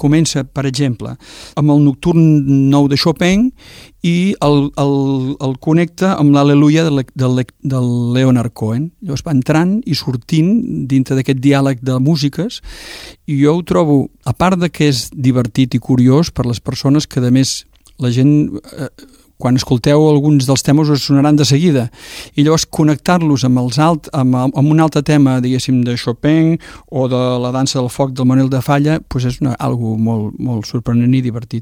comença, per exemple, amb el nocturn 9 de Chopin i el connecta amb l'Al·leluia del Leonard Cohen. Llavors va entrant i sortint dintre d'aquest diàleg de músiques, i jo ho trobo, a part de que és divertit i curiós per les persones que, a més, la gent... quan escolteu alguns dels temes us sonaran de seguida, i llavors connectar-los amb un altre tema, diguéssim, de Chopin o de la dansa del foc del Manuel de Falla, doncs és algo molt, molt sorprenent i divertit.